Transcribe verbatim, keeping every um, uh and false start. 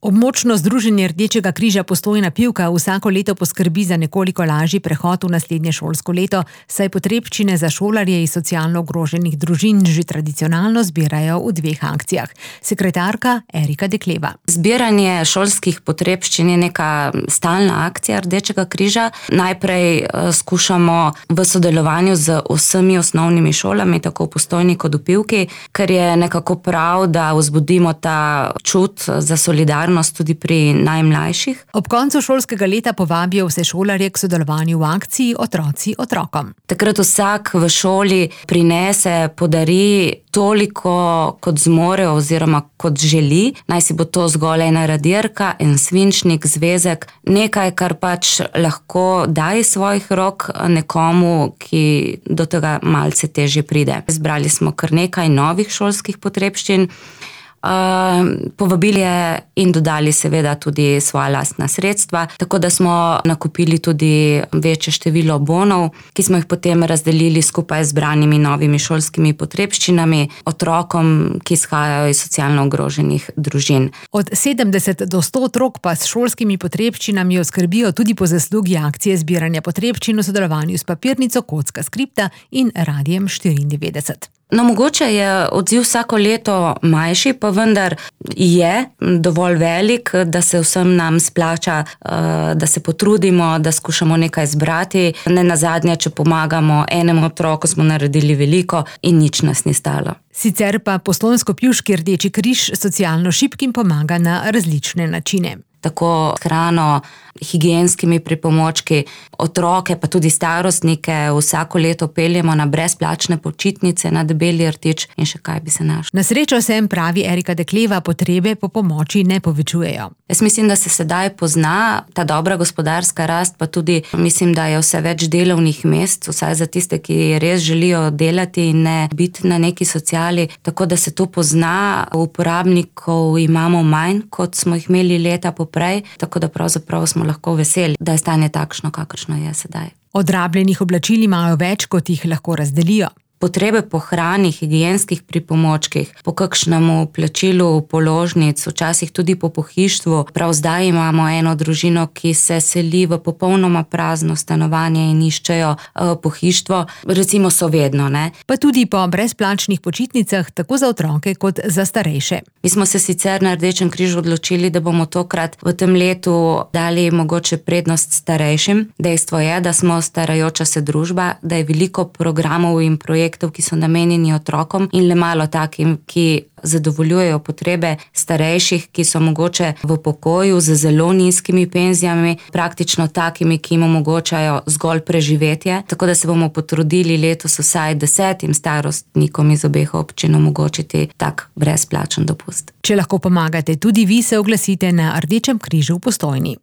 Območno združenje Rdečega križa Postojna Pivka vsako leto poskrbi za nekoliko lažji prehod v naslednje šolsko leto, saj potrebščine za šolarje iz socialno ogroženih družin že tradicionalno zbirajo v dveh akcijah. Sekretarka Erika Dekleva. Zbiranje šolskih potrebščin je neka stalna akcija Rdečega križa. Najprej skušamo v sodelovanju z vsemi osnovnimi šolami, tako v Postojni kot v Pivki, ker je nekako prav, da vzbudimo ta čut za solidarnost tudi pri najmlajših. Ob koncu šolskega leta povabijo vse šolarje k sodelovanju v akciji Otroci otrokom. Takrat vsak v šoli prinese, podari toliko, kot zmore oziroma kot želi. Naj si bo to zgolj ena radirka, en svinčnik, zvezek, nekaj, kar pač lahko da iz svojih rok nekomu, ki do tega malce težje pride. Zbrali smo kar nekaj novih šolskih potrebščin. Uh, povabili je in dodali seveda tudi svoja lastna sredstva, tako da smo nakupili tudi večje število bonov, ki smo jih potem razdelili skupaj z zbranimi novimi šolskimi potrebščinami otrokom, ki izhajajo iz socialno ogroženih družin. Od sedemdeset do sto otrok pa s šolskimi potrebščinami oskrbijo tudi po zaslugi akcije zbiranja potrebščin v sodelovanju s papirnico Kocka skripta in Radiem štiriindevetdeset. No, mogoče je odziv vsako leto manjši, pa vendar je dovolj velik, da se vsem nam splača, da se potrudimo, da skušamo nekaj zbrati. Ne nazadnje, če pomagamo enemu otroku, smo naredili veliko in nič nas ni stalo. Sicer pa Postojnsko-Pivški Rdeči križ socialno šibkim pomaga na različne načine. Tako hrano, higienskimi pripomočki, otroke pa tudi starostnike vsako leto peljemo na brezplačne počitnice na Debeli rtič in še kaj bi se našlo. Na srečo se, pravi Erika Dekleva, potrebe po pomoči ne povečujejo. Jaz mislim, da se sedaj pozna ta dobra gospodarska rast, pa tudi mislim, da je vse več delovnih mest, vsaj za tiste, ki res želijo delati in ne biti na neki sociali, tako da se to pozna. Uporabnikov imamo manj, kot smo jih imeli leta poprej, tako da pravzaprav smo lahko veseli, da je stanje takšno, kakršno je sedaj. Odrabljenih oblačil imajo več, kot jih lahko razdelijo. Potrebe po hrani, higienskih pripomočkih, po kakšnemu plačilu položnic, včasih tudi po pohištvu. Prav zdaj imamo eno družino, ki se seli v popolnoma prazno stanovanje in iščejo uh, pohištvo. Recimo so vedno, ne? Pa tudi po brezplačnih počitnicah, tako za otroke kot za starejše. Mi smo se sicer na Rdečem križu odločili, da bomo tokrat v tem letu dali mogoče prednost starejšim. Dejstvo je, da smo starajoča se družba, da je veliko programov in projektov, ki so namenjeni otrokom in le malo takim, ki zadovoljujejo potrebe starejših, ki so mogoče v pokoju z zelo nizkimi penzijami, praktično takimi, ki jim omogočajo zgolj preživetje. Tako da se bomo potrudili letos vsaj desetim starostnikom iz obeh občin omogočiti tak brezplačen dopust. Če lahko pomagate tudi vi, se oglasite na Rdečem križu v Postojni.